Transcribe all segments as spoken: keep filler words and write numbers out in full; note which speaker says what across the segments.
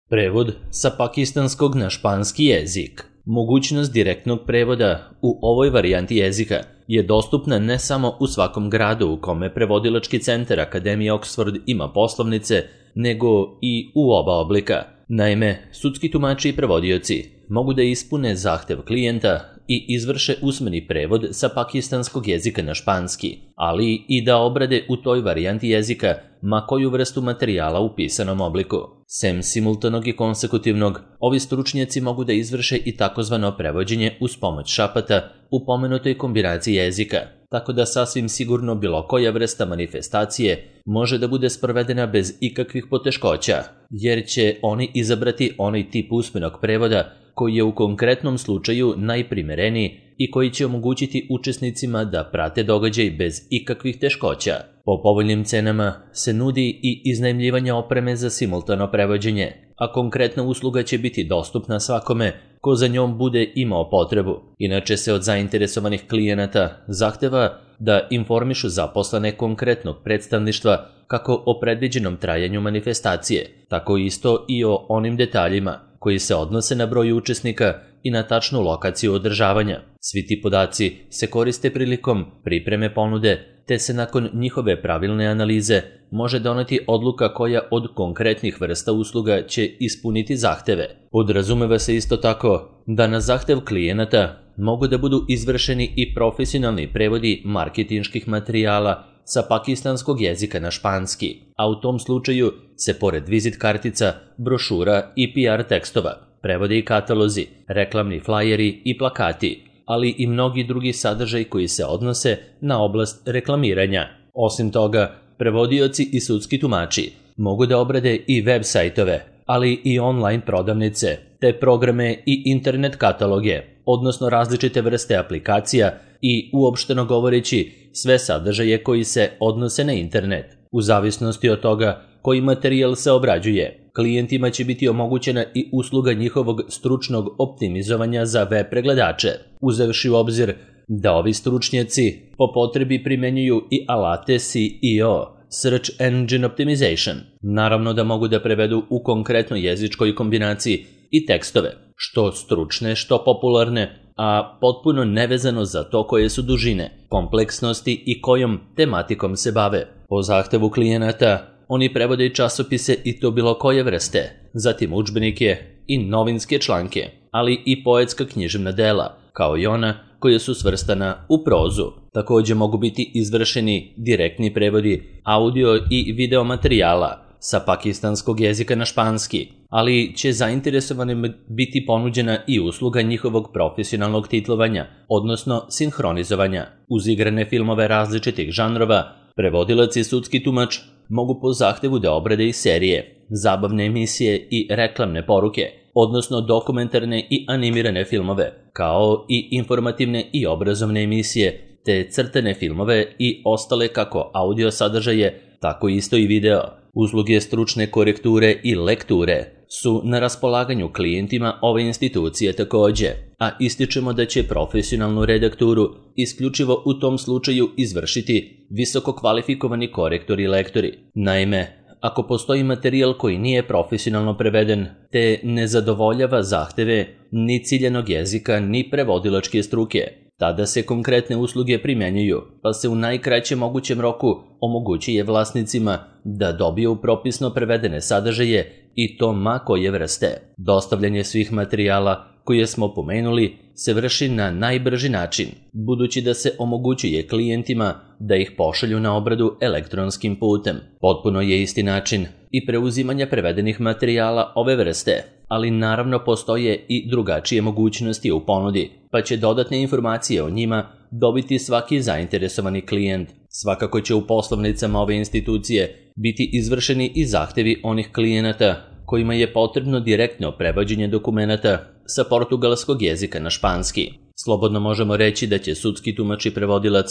Speaker 1: Prevod sa pakistanskog na španski jezik. Mogućnost direktnog prevoda u ovoj varijanti jezika je dostupna ne samo u svakom gradu u kome prevodilački centar Akademije Oxford ima poslovnice, nego i u oba oblika. Naime, sudski tumači i prevodioci mogu da ispune zahtev klijenta i izvrše usmeni prevod sa pakistanskog jezika na španski, ali i da obrade u toj varijanti jezika ma koju vrstu materijala u pisanom obliku. Sem simultanog i konsekutivnog, ovi stručnjaci mogu da izvrše i takozvano prevođenje uz pomoć šapata u pomenutoj kombinaciji jezika, tako da sasvim sigurno bilo koja vrsta manifestacije može da bude sprovedena bez ikakvih poteškoća, jer će oni izabrati onaj tip usmenog prevoda koji je u konkretnom slučaju najprimereniji i koji će omogućiti učesnicima da prate događaj bez ikakvih teškoća. Po povoljnim cenama se nudi i iznajmljivanje opreme za simultano prevođenje, a konkretna usluga će biti dostupna svakome ko za njom bude imao potrebu. Inače se od zainteresovanih klijenata zahteva da informišu zaposlene konkretnog predstavništva kako o predviđenom trajanju manifestacije, tako isto i o onim detaljima koji se odnose na broj učesnika i na tačnu lokaciju održavanja. Svi ti podaci se koriste prilikom pripreme ponude, te se nakon njihove pravilne analize može doneti odluka koja od konkretnih vrsta usluga će ispuniti zahteve. Podrazumeva se isto tako da na zahtev klijenata mogu da budu izvršeni i profesionalni prevodi marketinških materijala sa pakistanskog jezika na španski, a u tom slučaju se pored vizit kartica, brošura i P R tekstova prevode i katalozi, reklamni flajeri i plakati, ali i mnogi drugi sadržaj koji se odnose na oblast reklamiranja. Osim toga, prevodioci i sudski tumači mogu da obrade i web sajtove, ali i online prodavnice, te programe i internet kataloge, odnosno različite vrste aplikacija i, uopšteno govoreći, sve sadržaje koji se odnose na internet. U zavisnosti od toga koji materijal se obrađuje, klijentima će biti omogućena i usluga njihovog stručnog optimizovanja za web pregledače, uzevši u obzir da ovi stručnjaci po potrebi primenjuju i alate S E O, Search Engine Optimization. Naravno da mogu da prevedu u konkretnoj jezičkoj kombinaciji i tekstove, što stručne, što popularne, a potpuno nevezano za to koje su dužine, kompleksnosti i kojom tematikom se bave. Po zahtevu klijenata, oni prevode i časopise i to bilo koje vrste, zatim udžbenike i novinske članke, ali i poetska književna dela, kao i ona koja su svrstana u prozu. Također mogu biti izvršeni direktni prevodi audio i video materijala sa pakistanskog jezika na španski, ali će zainteresovanim biti ponuđena i usluga njihovog profesionalnog titlovanja, odnosno sinhronizovanja. Uz igrane filmove različitih žanrova, prevodilac i sudski tumač mogu po zahtevu da obrade i serije, zabavne emisije i reklamne poruke, odnosno dokumentarne i animirane filmove, kao i informativne i obrazovne emisije, te crtane filmove i ostale kako audio sadržaje, tako isto i video. Usluge stručne korekture i lekture su na raspolaganju klijentima ove institucije također, a ističemo da će profesionalnu redakturu isključivo u tom slučaju izvršiti visoko kvalifikovani korektori i lektori. Naime, ako postoji materijal koji nije profesionalno preveden, te ne zadovoljava zahteve ni ciljanog jezika ni prevodilačke struke, tada se konkretne usluge primjenjuju, pa se u najkraćem mogućem roku omogućuje vlasnicima da dobiju propisno prevedene sadržaje i to ma koje vrste. Dostavljanje svih materijala koje smo pomenuli se vrši na najbrži način, budući da se omogućuje klijentima da ih pošalju na obradu elektronskim putem. Potpuno je isti način i preuzimanja prevedenih materijala ove vrste, ali naravno postoje i drugačije mogućnosti u ponudi, pa će dodatne informacije o njima dobiti svaki zainteresovani klijent. Svakako će u poslovnicama ove institucije biti izvršeni i zahtevi onih klijenata kojima je potrebno direktno prevođenje dokumenata sa portugalskog jezika na španski. Slobodno možemo reći da će sudski tumač i prevodilac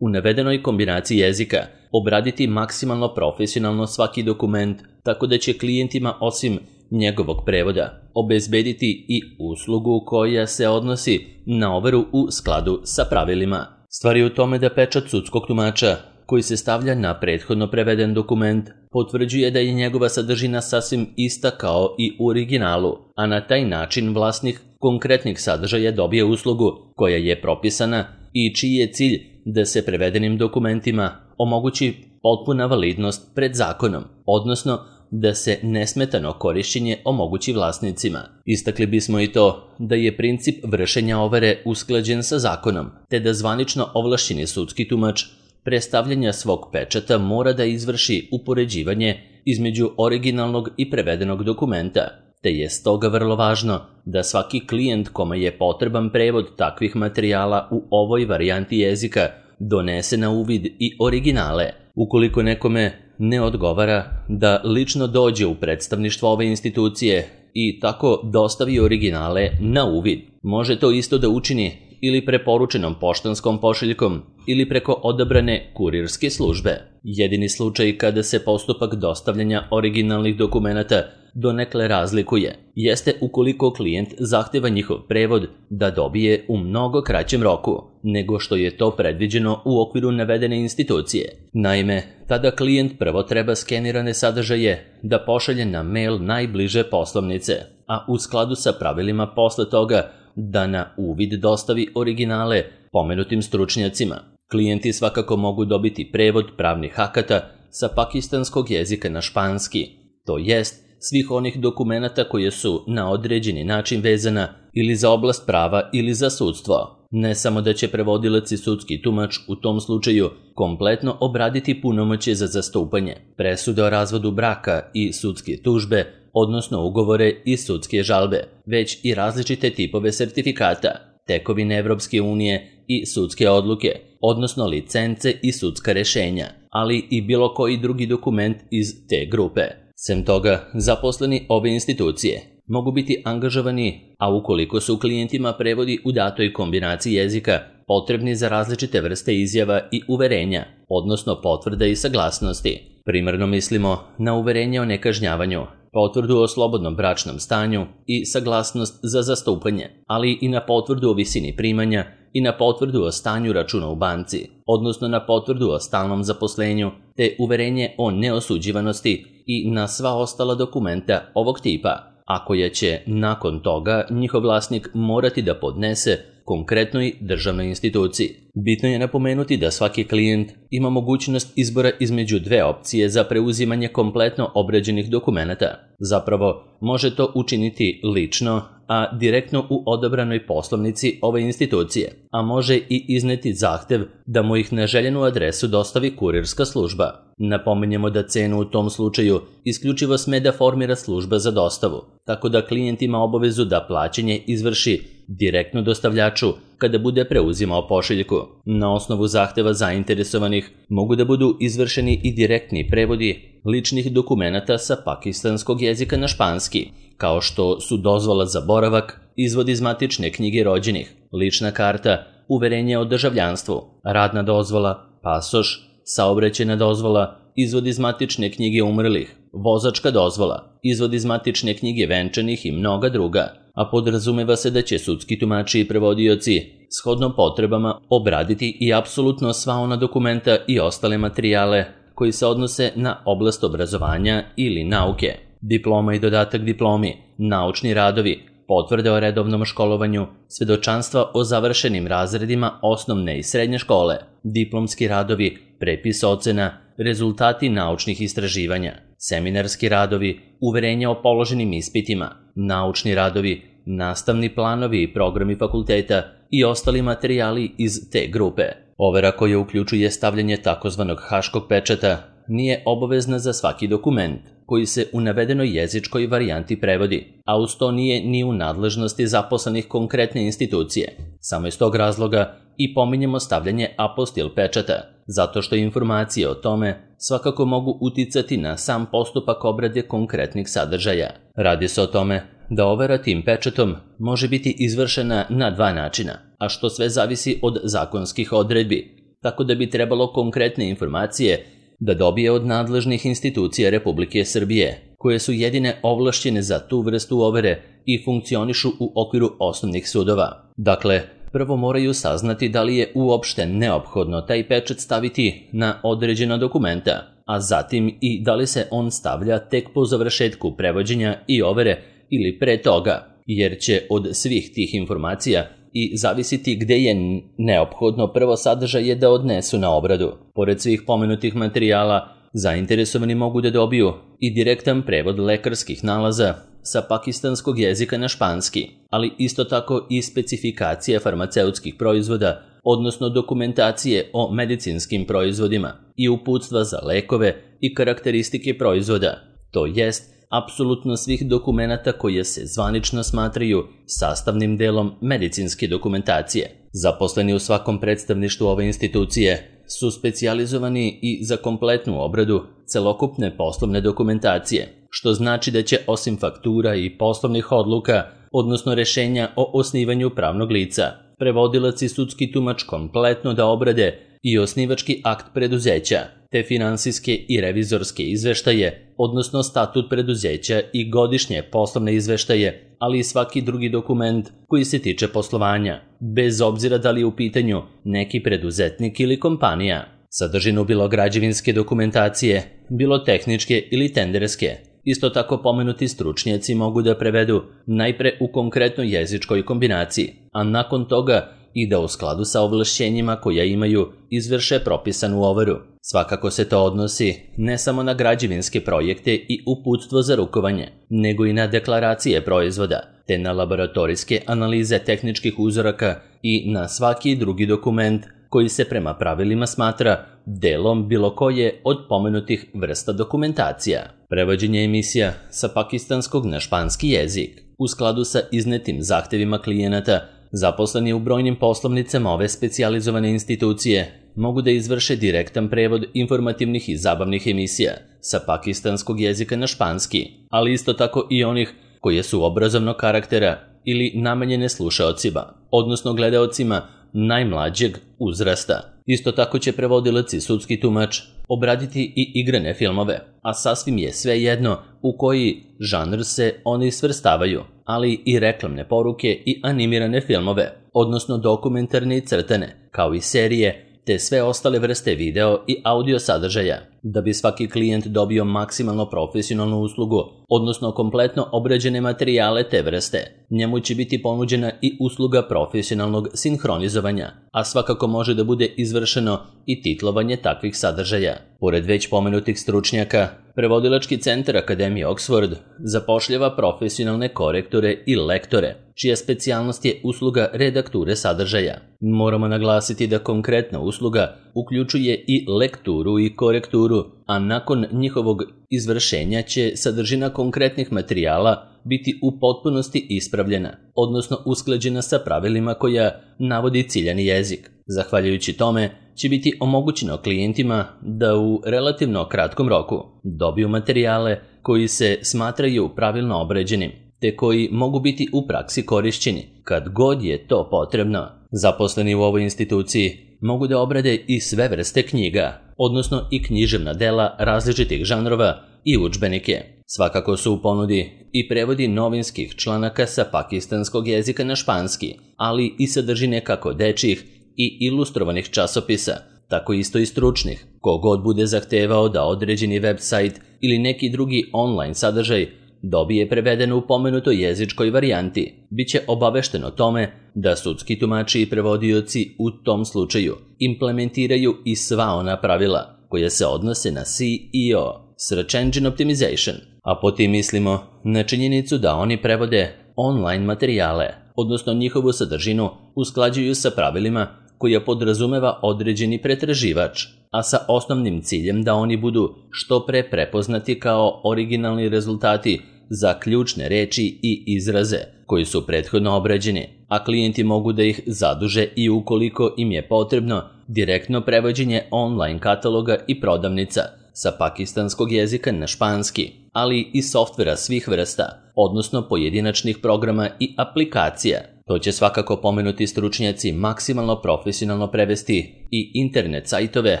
Speaker 1: u navedenoj kombinaciji jezika obraditi maksimalno profesionalno svaki dokument, tako da će klijentima osim njegovog prevoda obezbediti i uslugu koja se odnosi na overu u skladu sa pravilima. Stvar je u tome da pečat sudskog tumača koji se stavlja na prethodno preveden dokument potvrđuje da je njegova sadržina sasvim ista kao i u originalu, a na taj način vlasnik konkretnih sadržaja dobije uslugu koja je propisana i čiji je cilj da se prevedenim dokumentima omogući potpuna validnost pred zakonom, odnosno da se nesmetano korišćenje omogući vlasnicima. Istakli bismo i to da je princip vršenja overe usklađen sa zakonom, te da zvanično ovlašćeni sudski tumač prestavljanja svog pečata mora da izvrši upoređivanje između originalnog i prevedenog dokumenta, te je stoga vrlo važno da svaki klijent kome je potreban prevod takvih materijala u ovoj varijanti jezika donese na uvid i originale. Ukoliko nekome ne odgovara da lično dođe u predstavništvo ove institucije i tako dostavi originale na uvid, može to isto da učini ili preporučenom poštanskom pošiljkom ili preko odabrane kurirske službe. Jedini slučaj kada se postupak dostavljanja originalnih dokumenata donekle razlikuje jeste ukoliko klijent zahteva njihov prevod da dobije u mnogo kraćem roku nego što je to predviđeno u okviru navedene institucije. Naime, tada klijent prvo treba skenirane sadržaje da pošalje na mail najbliže poslovnice, a u skladu sa pravilima posle toga da na uvid dostavi originale pomenutim stručnjacima. Klijenti svakako mogu dobiti prevod pravnih akata sa pakistanskog jezika na španski, to jest svih onih dokumenata koje su na određeni način vezana ili za oblast prava ili za sudstvo. Ne samo da će prevodilac i sudski tumač u tom slučaju kompletno obraditi punomoćje za zastupanje, presude o razvodu braka i sudske tužbe, odnosno ugovore i sudske žalbe, već i različite tipove sertifikata, tekovine Evropske unije i sudske odluke, odnosno licence i sudska rešenja, ali i bilo koji drugi dokument iz te grupe. Sem toga, zaposleni ove institucije mogu biti angažovani, a ukoliko su klijentima prevodi u datoj kombinaciji jezika potrebni za različite vrste izjava i uverenja, odnosno potvrda i saglasnosti. Primarno mislimo na uverenje o nekažnjavanju, potvrdu o slobodnom bračnom stanju i saglasnost za zastupanje, ali i na potvrdu o visini primanja i na potvrdu o stanju računa u banci, odnosno na potvrdu o stalnom zaposlenju, te uverenje o neosuđivanosti i na sva ostala dokumenta ovog tipa, a koja će nakon toga njihov vlasnik morati da podnese konkretnoj državnoj instituciji. Bitno je napomenuti da svaki klijent ima mogućnost izbora između dve opcije za preuzimanje kompletno obrađenih dokumenata. Zapravo, može to učiniti lično, a direktno u odabranoj poslovnici ove institucije, a može i izneti zahtev da mu ih na željenu adresu dostavi kurirska služba. Napominjemo da cenu u tom slučaju isključivo sme da formira služba za dostavu, tako da klijent ima obavezu da plaćanje izvrši direktno dostavljaču kada bude preuzimao pošiljku. Na osnovu zahteva zainteresovanih mogu da budu izvršeni i direktni prevodi ličnih dokumenata sa pakistanskog jezika na španski, kao što su dozvola za boravak, izvod iz matične knjige rođenih, lična karta, uverenje o državljanstvu, radna dozvola, pasoš, saobraćajna dozvola, izvod iz matične knjige umrlih, vozačka dozvola, izvod iz matične knjige venčanih i mnoga druga, a podrazumeva se da će sudski tumači i prevodioci shodno potrebama obraditi i apsolutno sva ona dokumenta i ostale materijale koji se odnose na oblast obrazovanja ili nauke, diploma i dodatak diplomi, naučni radovi, potvrde o redovnom školovanju, svedočanstva o završenim razredima osnovne i srednje škole, diplomski radovi, prepis ocena, rezultati naučnih istraživanja, seminarski radovi, uverenja o položenim ispitima, naučni radovi, nastavni planovi i programi fakulteta i ostali materijali iz te grupe. Overa koja uključuje stavljanje takozvanog haškog pečata nije obavezna za svaki dokument koji se u navedenoj jezičkoj varijanti prevodi, a uz to nije ni u nadležnosti zaposlenih konkretne institucije. Samo iz tog razloga i pominjemo stavljanje apostil pečata, zato što informacije o tome svakako mogu uticati na sam postupak obrade konkretnih sadržaja. Radi se o tome da overa tim pečatom može biti izvršena na dva načina, a što sve zavisi od zakonskih odredbi, tako da bi trebalo konkretne informacije da dobije od nadležnih institucija Republike Srbije, koje su jedine ovlašćene za tu vrstu overe i funkcionišu u okviru osnovnih sudova. Dakle, prvo moraju saznati da li je uopšte neophodno taj pečat staviti na određena dokumenta, a zatim i da li se on stavlja tek po završetku prevođenja i overe ili pre toga, jer će od svih tih informacija i zavisiti gde je neophodno prvo sadržaje da odnesu na obradu. Pored svih pomenutih materijala, zainteresovani mogu da dobiju i direktan prevod lekarskih nalaza sa pakistanskog jezika na španski, ali isto tako i specifikacije farmaceutskih proizvoda, odnosno dokumentacije o medicinskim proizvodima i uputstva za lekove i karakteristike proizvoda, to jest apsolutno svih dokumenata koje se zvanično smatraju sastavnim delom medicinske dokumentacije. Zaposleni u svakom predstavništvu ove institucije su specijalizovani i za kompletnu obradu celokupne poslovne dokumentacije, što znači da će osim faktura i poslovnih odluka, odnosno rešenja o osnivanju pravnog lica, prevodilac i sudski tumač kompletno da obrade i osnivački akt preduzeća, te finansijske i revizorske izveštaje, odnosno statut preduzeća i godišnje poslovne izveštaje, ali i svaki drugi dokument koji se tiče poslovanja, bez obzira da li je u pitanju neki preduzetnik ili kompanija. Sadržinu bilo građevinske dokumentacije, bilo tehničke ili tenderske. Isto tako pomenuti stručnjaci mogu da prevedu najpre u konkretnoj jezičkoj kombinaciji, a nakon toga i da u skladu sa ovlašćenjima koja imaju izvrše propisanu overu. Svakako se to odnosi ne samo na građevinske projekte i uputstvo za rukovanje, nego i na deklaracije proizvoda, te na laboratorijske analize tehničkih uzoraka i na svaki drugi dokument koji se prema pravilima smatra delom bilo koje od pomenutih vrsta dokumentacija. Prevođenje emisija sa pakistanskog na španski jezik. U skladu sa iznetim zahtevima klijenata, zaposleni u brojnim poslovnicama ove specijalizovane institucije mogu da izvrše direktan prevod informativnih i zabavnih emisija sa pakistanskog jezika na španski, ali isto tako i onih koje su obrazovnog karaktera ili namenjene slušaocima, odnosno gledaocima najmlađeg uzrasta. Isto tako će prevodilac i sudski tumač obraditi i igrane filmove, a sasvim je svejedno u koji žanr se oni svrstavaju, ali i reklamne poruke i animirane filmove, odnosno dokumentarne i crtane, kao i serije, te sve ostale vrste video i audio sadržaja, da bi svaki klijent dobio maksimalno profesionalnu uslugu, odnosno kompletno obrađene materijale te vrste. Njemu će biti ponuđena i usluga profesionalnog sinhronizovanja, a svakako može da bude izvršeno i titlovanje takvih sadržaja. Pored već pomenutih stručnjaka, Prevodilački centar Akademije Oxford zapošljava profesionalne korektore i lektore, čija specijalnost je usluga redakture sadržaja. Moramo naglasiti da konkretna usluga uključuje i lekturu i korekturu, a nakon njihovog izvršenja će sadržina konkretnih materijala biti u potpunosti ispravljena, odnosno usklađena sa pravilima koja navodi ciljani jezik. Zahvaljujući tome će biti omogućeno klijentima da u relativno kratkom roku dobiju materijale koji se smatraju pravilno obrađenim, te koji mogu biti u praksi korišćeni kad god je to potrebno. Zaposleni u ovoj instituciji mogu da obrade i sve vrste knjiga, odnosno i književna dela različitih žanrova i udžbenike. Svakako su u ponudi i prevodi novinskih članaka sa pakistanskog jezika na španski, ali i sadržine kako dečjih i ilustrovanih časopisa, tako isto i stručnih. Kogod bude zahtevao da određeni website ili neki drugi online sadržaj dobije preveden u pomenutoj jezičkoj varijanti, bit će obavešten o tome da sudski tumači i prevodioci u tom slučaju implementiraju i sva ona pravila koja se odnose na S E O, Search Engine Optimization, a po tim mislimo na činjenicu da oni prevode online materijale, odnosno njihovu sadržinu usklađuju sa pravilima koja podrazumeva određeni pretraživač, a sa osnovnim ciljem da oni budu što pre prepoznati kao originalni rezultati za ključne reči i izraze koji su prethodno obrađeni, a klijenti mogu da ih zaduže i ukoliko im je potrebno direktno prevođenje online kataloga i prodavnica sa pakistanskog jezika na španski, ali i softvera svih vrsta, odnosno pojedinačnih programa i aplikacija. To će svakako pomenuti stručnjaci maksimalno profesionalno prevesti i internet sajtove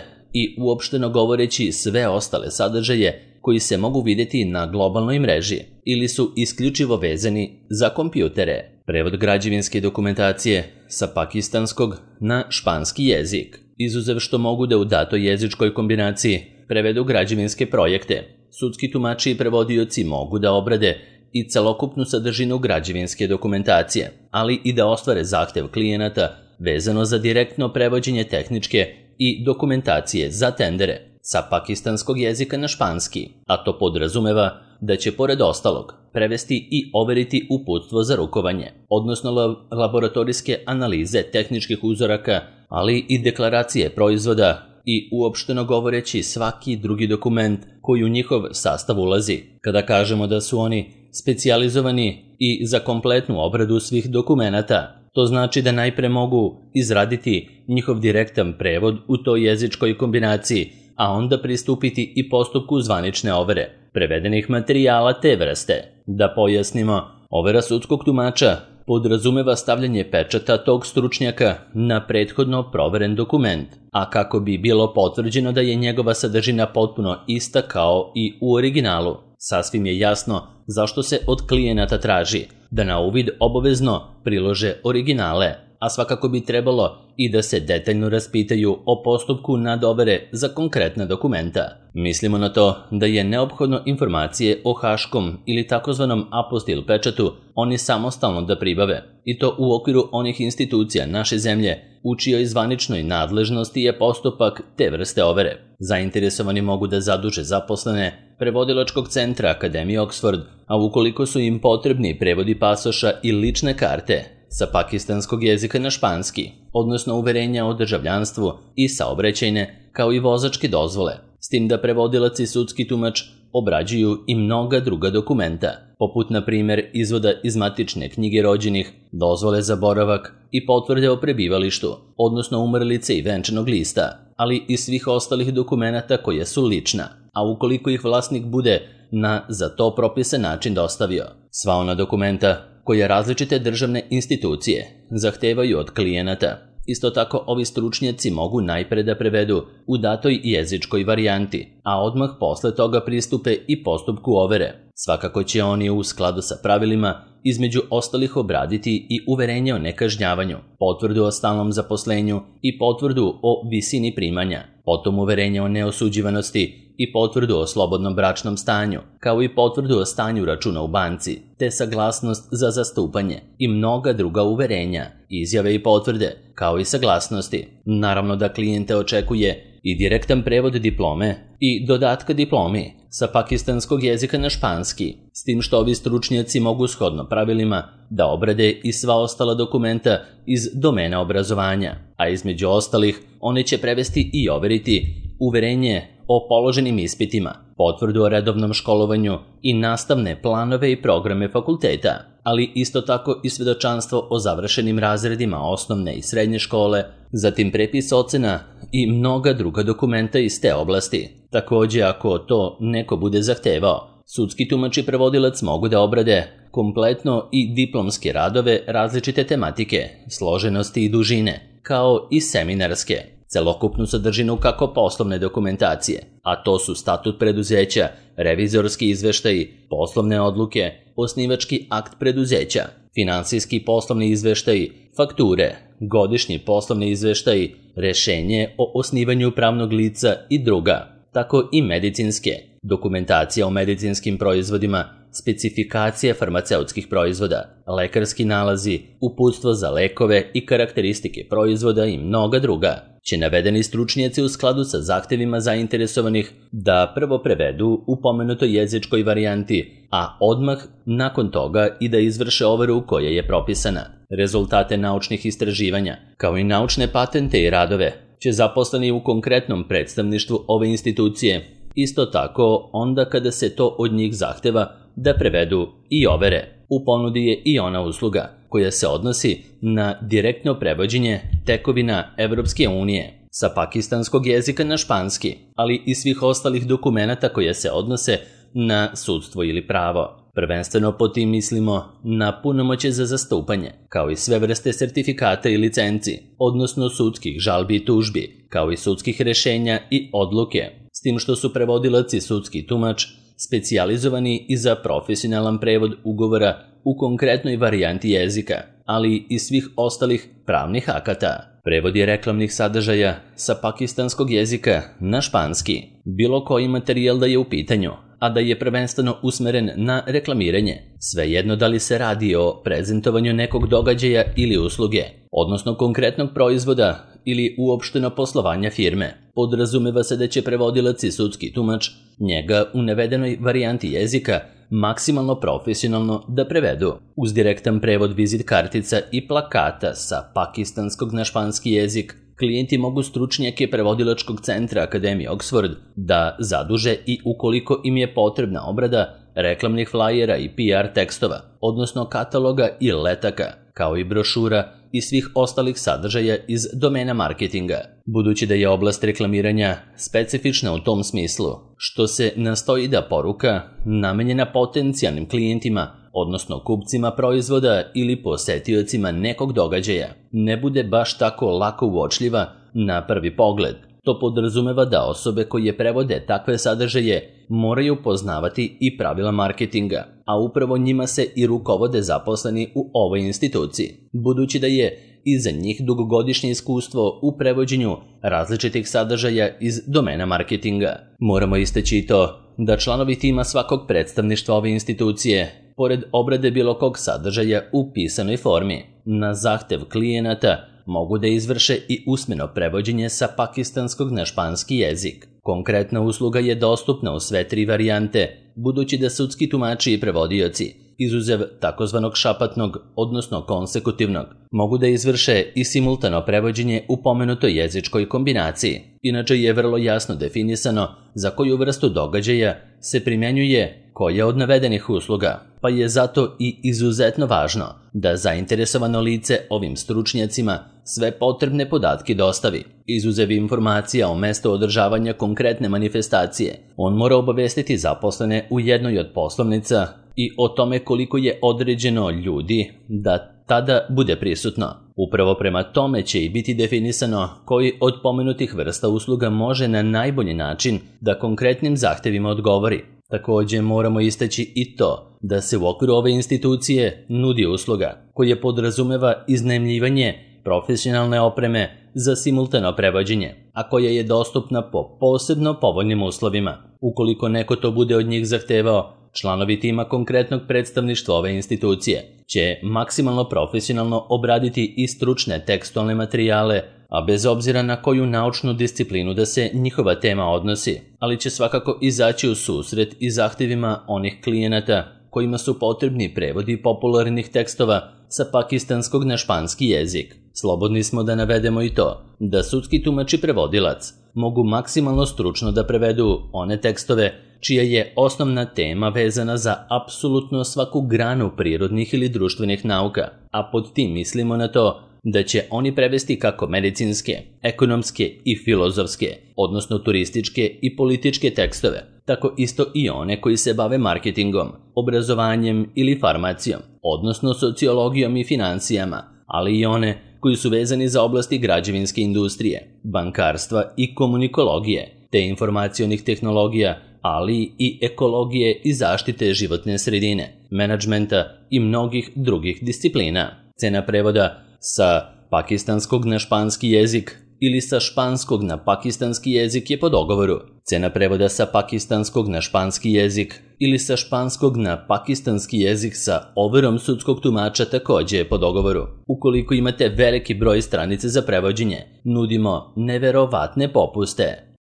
Speaker 1: i uopšteno govoreći sve ostale sadržaje koji se mogu vidjeti na globalnoj mreži ili su isključivo vezani za kompjutere. Prevod građevinske dokumentacije sa pakistanskog na španski jezik, izuzev što mogu da u datoj jezičkoj kombinaciji prevedu građevinske projekte. Sudski tumači i prevodioci mogu da obrade i celokupnu sadržinu građevinske dokumentacije, ali i da ostvare zahtev klijenata vezano za direktno prevođenje tehničke i dokumentacije za tendere sa pakistanskog jezika na španski, a to podrazumeva da će pored ostalog prevesti i overiti uputstvo za rukovanje, odnosno laboratorijske analize tehničkih uzoraka, ali i deklaracije proizvoda i uopšteno govoreći svaki drugi dokument koji u njihov sastav ulazi. Kada kažemo da su oni specijalizovani i za kompletnu obradu svih dokumenata, to znači da najpre mogu izraditi njihov direktan prevod u toj jezičkoj kombinaciji, a onda pristupiti i postupku zvanične overe prevedenih materijala te vrste. Da pojasnimo, overa sudskog tumača podrazumeva stavljanje pečata tog stručnjaka na prethodno proveren dokument, a kako bi bilo potvrđeno da je njegova sadržina potpuno ista kao i u originalu. Sasvim je jasno zašto se od klijenata traži da na uvid obavezno prilože originale, a svakako bi trebalo i da se detaljno raspitaju o postupku nadovere za konkretna dokumenta. Mislimo na to da je neophodno informacije o haškom ili takozvanom apostil pečatu oni samostalno da pribave, i to u okviru onih institucija naše zemlje u čijoj zvaničnoj nadležnosti je postupak te vrste overe. Zainteresovani mogu da zaduže zaposlene prevodilačkog centra Akademije Oxford, a ukoliko su im potrebni prevodi pasoša i lične karte sa pakistanskog jezika na španski, odnosno uverenja o državljanstvu i saobraćajne, kao i vozačke dozvole, s tim da prevodilac i sudski tumač obrađuju i mnoga druga dokumenta, poput na primjer izvoda iz matične knjige rođenih, dozvole za boravak i potvrde o prebivalištu, odnosno umrlice i venčanog lista, ali i svih ostalih dokumenata koja su lična, a ukoliko ih vlasnik bude na za to propisan način dostavio. Sva ona dokumenta koje različite državne institucije zahtevaju od klijenata. Isto tako, ovi stručnjaci mogu najpre da prevedu u datoj jezičkoj varijanti, a odmah posle toga pristupe i postupku overe. Svakako će oni u skladu sa pravilima između ostalih obraditi i uverenje o nekažnjavanju, potvrdu o stalnom zaposlenju i potvrdu o visini primanja, potom uverenje o neosuđivanosti i potvrdu o slobodnom bračnom stanju, kao i potvrdu o stanju računa u banci, te saglasnost za zastupanje i mnoga druga uverenja, izjave i potvrde, kao i saglasnosti. Naravno da klijente očekuje i direktan prevod diplome i dodatka diplomi sa pakistanskog jezika na španski, s tim što ovi stručnjaci mogu shodno pravilima da obrade i sva ostala dokumenta iz domena obrazovanja, a između ostalih one će prevesti i overiti uverenje o položenim ispitima, potvrdu o redovnom školovanju i nastavne planove i programe fakulteta, ali isto tako i svedočanstvo o završenim razredima osnovne i srednje škole, zatim prepis ocena i mnoga druga dokumenta iz te oblasti. Takođe, ako to neko bude zahtevao, sudski tumač i prevodilac mogu da obrade kompletno i diplomske radove različite tematike, složenosti i dužine, kao i seminarske, celokupnu sadržinu kako poslovne dokumentacije, a to su statut preduzeća, revizorski izveštaji, poslovne odluke, osnivački akt preduzeća, finansijski poslovni izveštaji, fakture, godišnji poslovni izveštaji, rešenje o osnivanju pravnog lica i druga, tako i medicinske, dokumentacija o medicinskim proizvodima, specifikacije farmaceutskih proizvoda, lekarski nalazi, uputstvo za lekove i karakteristike proizvoda i mnoga druga, će navedeni stručnjaci u skladu sa zahtevima zainteresovanih da prvo prevedu u pomenutoj jezičkoj varijanti, a odmah nakon toga i da izvrše overu koja je propisana. Rezultate naučnih istraživanja, kao i naučne patente i radove, će zaposleni u konkretnom predstavništvu ove institucije isto tako onda kada se to od njih zahteva da prevedu i overe. U ponudi je i ona usluga koja se odnosi na direktno prevođenje tekovina Evropske unije sa pakistanskog jezika na španski, ali i svih ostalih dokumenata koje se odnose na sudstvo ili pravo. Prvenstveno po tim mislimo na punomoćje za zastupanje, kao i sve vrste sertifikata i licenci, odnosno sudskih žalbi i tužbi, kao i sudskih rešenja i odluke, s tim što su prevodilac i sudski tumač specijalizovani i za profesionalan prevod ugovora u konkretnoj varijanti jezika. ali i svih ostalih pravnih akata. Prevod je reklamnih sadržaja sa pakistanskog jezika na španski, bilo koji materijal da je u pitanju, a da je prvenstveno usmeren na reklamiranje, svejedno da li se radi o prezentovanju nekog događaja ili usluge, odnosno konkretnog proizvoda ili uopšteno poslovanja firme. Podrazumeva se da će prevodilac i sudski tumač njega u navedenoj varijanti jezika maksimalno profesionalno da prevedu. Uz direktan prevod vizit kartica i plakata sa pakistanskog na španski jezik, klijenti mogu stručnjake prevodilačkog centra Akademije Oxford da zaduže i ukoliko im je potrebna obrada reklamnih flajera i P R tekstova, odnosno kataloga i letaka, kao i brošura i svih ostalih sadržaja iz domena marketinga. Budući da je oblast reklamiranja specifična u tom smislu, što se nastoji da poruka namenjena potencijalnim klijentima, odnosno kupcima proizvoda ili posetiocima nekog događaja, ne bude baš tako lako uočljiva na prvi pogled. To podrazumeva da osobe koje prevode takve sadržaje moraju poznavati i pravila marketinga, a upravo njima se i rukovode zaposleni u ovoj instituciji, budući da je iza njih dugogodišnje iskustvo u prevođenju različitih sadržaja iz domena marketinga. Moramo istaći i to da članovi tima svakog predstavništva ove institucije, pored obrade bilo kog sadržaja u pisanoj formi, na zahtev klijenata mogu da izvrše i usmeno prevođenje sa pakistanskog na španski jezik. Konkretna usluga je dostupna u sve tri varijante, budući da sudski tumači i prevodioci, izuzev takozvanog šapatnog, odnosno konsekutivnog, mogu da izvrše i simultano prevođenje u pomenutoj jezičkoj kombinaciji. Inače je vrlo jasno definisano za koju vrstu događaja se primjenjuje koja od navedenih usluga, pa je zato i izuzetno važno da zainteresovano lice ovim stručnjacima sve potrebne podatke dostavi. Izuzev informacija o mestu održavanja konkretne manifestacije, on mora obavestiti zaposlene u jednoj od poslovnica i o tome koliko je određeno ljudi da tada bude prisutno. Upravo prema tome će i biti definisano koji od pomenutih vrsta usluga može na najbolji način da konkretnim zahtevima odgovori. Također moramo istaći i to da se u okviru ove institucije nudi usluga koja podrazumeva iznajmljivanje profesionalne opreme za simultano prevođenje, a koja je dostupna po posebno povoljnim uslovima. Ukoliko neko to bude od njih zahtevao, članovi tima konkretnog predstavništva ove institucije će maksimalno profesionalno obraditi i stručne tekstualne materijale, a bez obzira na koju naučnu disciplinu da se njihova tema odnosi, ali će svakako izaći u susret i zahtjevima onih klijenata kojima su potrebni prevodi popularnih tekstova sa pakistanskog na španski jezik. Slobodni smo da navedemo i to da sudski tumač i prevodilac mogu maksimalno stručno da prevedu one tekstove čija je osnovna tema vezana za apsolutno svaku granu prirodnih ili društvenih nauka, a pod tim mislimo na to da će oni prevesti kako medicinske, ekonomske i filozofske, odnosno turističke i političke tekstove, tako isto i one koji se bave marketingom, obrazovanjem ili farmacijom, odnosno sociologijom i financijama, ali i one koji su vezani za oblasti građevinske industrije, bankarstva i komunikologije, te informacionih tehnologija, ali i ekologije i zaštite životne sredine, menadžmenta i mnogih drugih disciplina. Cena prevoda sa pakistanskog na španski jezik ili sa španskog na pakistanski jezik je po dogovoru. Cena prevoda sa pakistanskog na španski jezik ili sa španskog na pakistanski jezik sa overom sudskog tumača također je po dogovoru. Ukoliko imate veliki broj stranice za prevođenje, nudimo neverovatne popuste.